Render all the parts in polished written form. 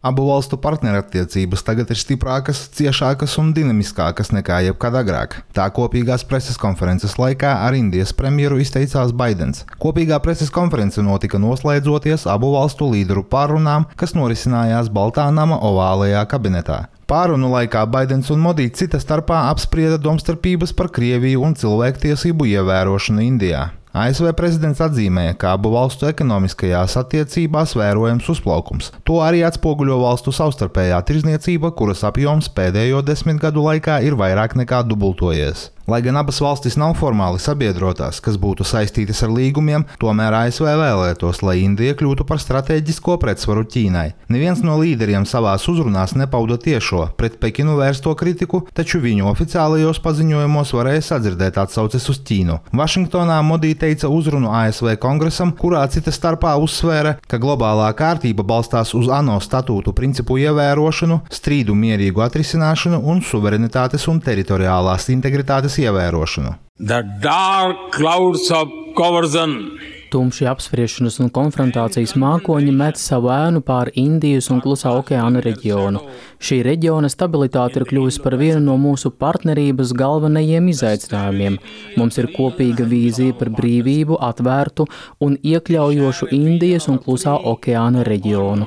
Abu valstu partnerattiecības tagad ir stiprākas, ciešākas un dinamiskākas nekā jebkad agrāk. Tā kopīgās preses konferences laikā ar Indijas premjeru izteicās Baidens. Kopīgā preses konference notika noslēdzoties abu valstu līderu pārrunām, kas norisinājās Baltā nama ovālajā kabinetā. Pārunu laikā Baidens un Modi cita starpā apsprieda domstarpības par Krieviju un cilvēktiesību ievērošanu Indijā. ASV prezidents atzīmēja, ka abu valstu ekonomiskajās attiecībās vērojams uzplaukums. To arī atspoguļo valstu savstarpējā tirdzniecība, kuras apjoms pēdējo 10 gadu laikā ir vairāk nekā dubultojies. Lai gan abas valstis nav formāli sabiedrotās, kas būtu saistītas ar līgumiem, tomēr ASV vēlētos, lai Indija kļūtu par stratēģisko pretsvaru Ķīnai. Neviens no līderiem savās uzrunās nepauda tiešo, pret Pekinu vērsto kritiku, taču viņu oficiālajos paziņojumos varēja sadzirdēt atsauces uz Ķīnu. Vašingtonā Modi teica uzrunu ASV kongresam, kurā cita starpā uzsvēra, ka globālā kārtība balstās uz ANO statūtu principu ievērošanu, strīdu mierīgu atrisināšanu un suverenitātes un teritoriālās integritātes ievērošanu. Tumši apspriešanas un konfrontācijas mākoņi met savu ēnu pār Indijas un Klusā okeāna reģionu. Šī reģiona stabilitāte ir kļuvusi par vienu no mūsu partnerības galvenajiem izaicinājumiem. Mums ir kopīga vīzija par brīvību, atvērtu un iekļaujošu Indijas un Klusā okeāna reģionu.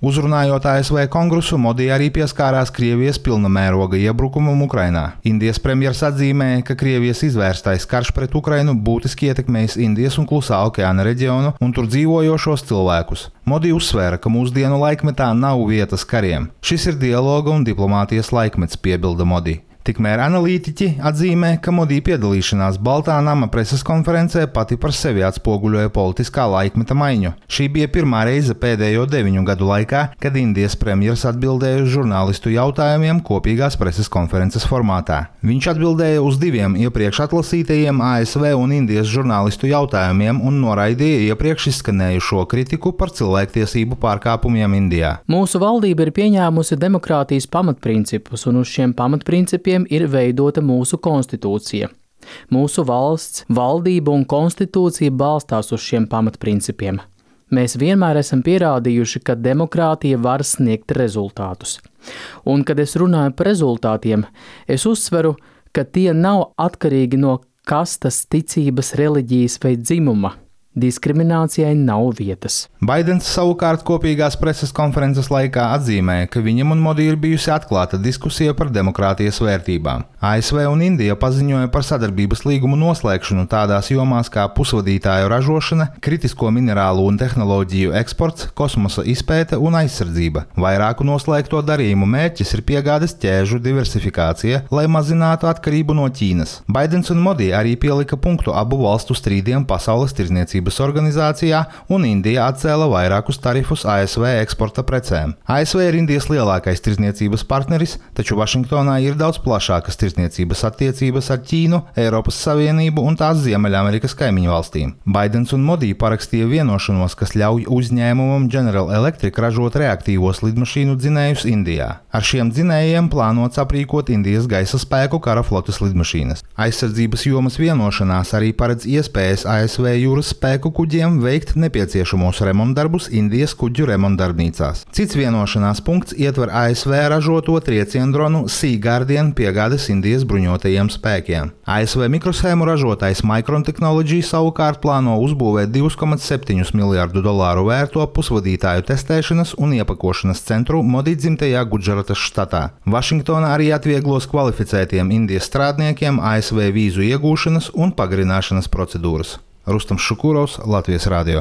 Uzrunājot ASV kongresu, Modi arī pieskārās Krievijas pilna mēroga iebrukumam Ukrainā. Indijas premjers atzīmēja, ka Krievijas izvērstais karš pret Ukrainu būtiski ietekmējis Indijas un Klusā okeāna reģionu un tur dzīvojošos cilvēkus. Modi uzsvēra, ka mūsdienu laikmetā nav vietas kariem. Šis ir dialoga un diplomātijas laikmets, piebilda Modi. Tikmēr analītiķi atzīmē, ka Modi piedalīšanās Baltā nama preses konferencē pati par sevi atspoguļoja politiskā laikmeta maiņu. Šī bija pirmā reize pēdējo 9 gadu laikā, kad Indijas premjers atbildēja uz žurnālistu jautājumiem kopīgās preses konferences formātā. Viņš atbildēja uz 2 iepriekš atlasītajiem ASV un Indijas žurnālistu jautājumiem un noraidīja iepriekš izskanējušo kritiku par cilvēktiesību pārkāpumiem Indijā. Mūsu valdība ir pieņēmusi demokrātijas pamatprincipus, un uz šiem pamatprincipiem ir veidota mūsu konstitūcija. Mūsu valsts, valdība un konstitūcija balstās uz šiem pamatprincipiem. Mēs vienmēr esam pierādījuši, ka demokrātija var sniegt rezultātus. Un, kad es runāju par rezultātiem, es uzsveru, ka tie nav atkarīgi no kastas, ticības, reliģijas vai dzimuma. Diskriminācijai nav vietas. Baidens savukārt kopīgās preses konferences laikā atzīmēja, ka viņam un Modi ir bijusi atklāta diskusija par demokrātijas vērtībām. ASV un Indija paziņoja par sadarbības līgumu noslēgšanu tādās jomās kā pusvadītāju ražošana, kritisko minerālu un tehnoloģiju eksports, kosmosa izpēte un aizsardzība. Vairāku noslēgto darījumu mērķis ir piegādes ķēžu diversifikācija, lai mazinātu atkarību no Ķīnas. Baidens un Modi arī pielika punktu abu valstu strīdiem Pasaules tirdzniecības organizācijā, un Indija atcēla vairākus tarifus ASV eksporta precēm. ASV ir Indijas lielākais tirdzniecības partneris, taču Vašingtonā ir daudz plašākas tirdzniecības attiecības ar Ķīnu, Eiropas Savienību un tās Ziemeļamerikas kaimiņu valstīm. Baidens un Modi parakstīja vienošanos, kas ļauj uzņēmumam General Electric ražot reaktīvos lidmašīnu dzinējus Indijā. Ar šiem dzinējiem plānots aprīkot Indijas gaisa spēku kara flotes lidmašīnas. Aizsardzības jomas vienošanās arī paredz iespējas ASV jūras spēku kuģiem veikt nepieciešamos remontdarbus Indijas kuģu remontdarbnīcās. Cits vienošanās punkts ietver ASV ražoto trieciendronu Sea Guardian piegādes Indijas bruņotajiem spēkiem. ASV mikroshēmu ražotājs Micron Technology savukārt plāno uzbūvēt $2,7 miljārdu vērto pusvadītāju testēšanas un iepakošanas centru Modi dzimtajā Gudžaratas štatā. Vašingtona arī atvieglos kvalificētiem Indijas strādniekiem ASV vīzu iegūšanas un pagarināšanas procedūras. Rustams Šukurovs, Latvijas radio.